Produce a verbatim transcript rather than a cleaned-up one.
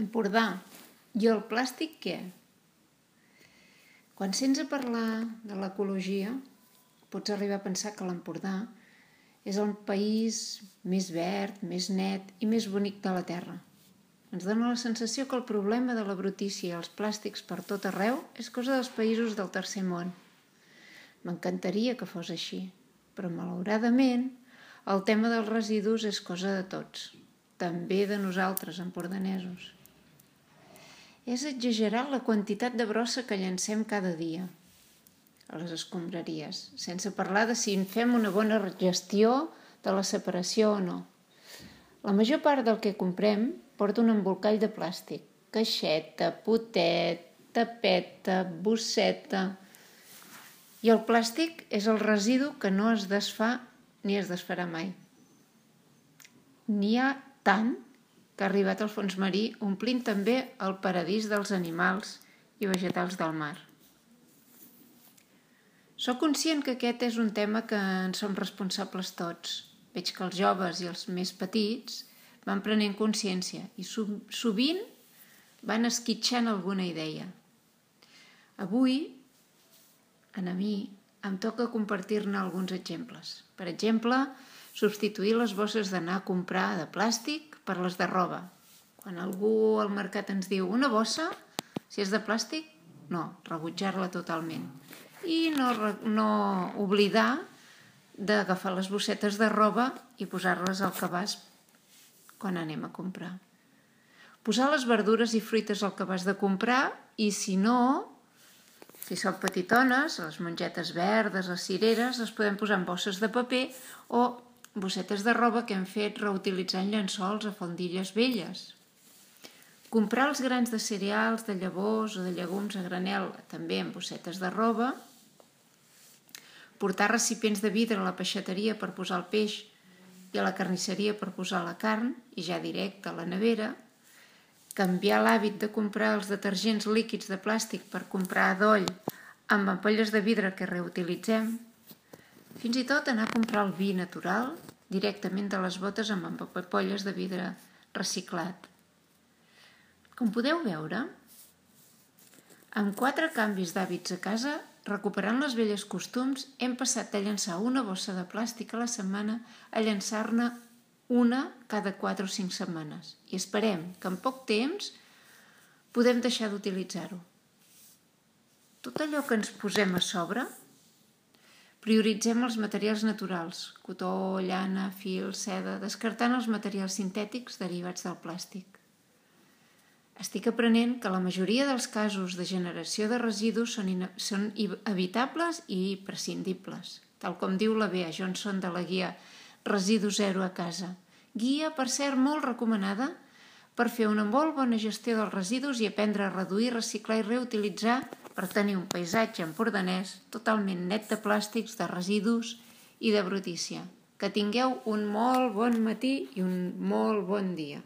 Empordà. I el plàstic què? Quan sents a parlar de l'ecologia, pots arribar a pensar que l'Empordà és el país més verd, més net i més bonic de la Terra. Ens dona la sensació que el problema de la brutícia i els plàstics per tot arreu és cosa dels països del tercer món. M'encantaria que fos així, però malauradament el tema dels residus és cosa de tots, també de nosaltres, empordanesos. És exagerat la quantitat de brossa que llancem cada dia a les escombraries, sense parlar de si en fem una bona gestió de la separació o no. La major part del que comprem porta un embolcall de plàstic, caixeta, potet, tapeta, bosseta. I el plàstic és el residu que no es desfà ni es desfarà mai. N'hi ha tant que ha arribat al fons marí, omplint també el paradís dels animals i vegetals del mar. Soc conscient que aquest és un tema que en som responsables tots. Veig que els joves i els més petits van prenent consciència i sovint van esquitxant alguna idea. Avui, a mi, em toca compartir-ne alguns exemples. Per exemple, substituir les bosses d'anar a comprar de plàstic per les de roba. Quan algú al mercat ens diu una bossa, si és de plàstic, no, rebutjar-la totalment. I no, no oblidar d'agafar les bossetes de roba i posar-les al cabàs quan anem a comprar. Posar les verdures i fruites al cabàs de comprar i, si no, si són petitones, les mongetes verdes, les cireres, les podem posar en bosses de paper o bossetes de roba que hem fet reutilitzant llençols a faldilles velles. Comprar els grans de cereals, de llavors o de llegums a granel, també en bossetes de roba. Portar recipients de vidre a la peixateria per posar el peix i a la carnisseria per posar la carn, i ja directe a la nevera. Canviar l'hàbit de comprar els detergents líquids de plàstic per comprar adoll amb ampolles de vidre que reutilitzem. Fins i tot anar a comprar el vi natural directament de les botes amb ampolles de vidre reciclat. Com podeu veure, amb quatre canvis d'hàbits a casa, recuperant les velles costums, hem passat de llançar una bossa de plàstic a la setmana a llançar-ne una cada quatre o cinc setmanes. I esperem que en poc temps podem deixar d'utilitzar-ho. Tot allò que ens posem a sobre, prioritzem els materials naturals, cotó, llana, fil, seda, descartant els materials sintètics derivats del plàstic. Estic aprenent que la majoria dels casos de generació de residus són, són evitables i prescindibles, tal com diu la Bea Johnson de la guia Residu Zero a casa. Guia, per cert, molt recomanada per fer una molt bona gestió dels residus i aprendre a reduir, reciclar i reutilitzar per tenir un paisatge empordanès totalment net de plàstics, de residus i de brutícia. Que tingueu un molt bon matí i un molt bon dia.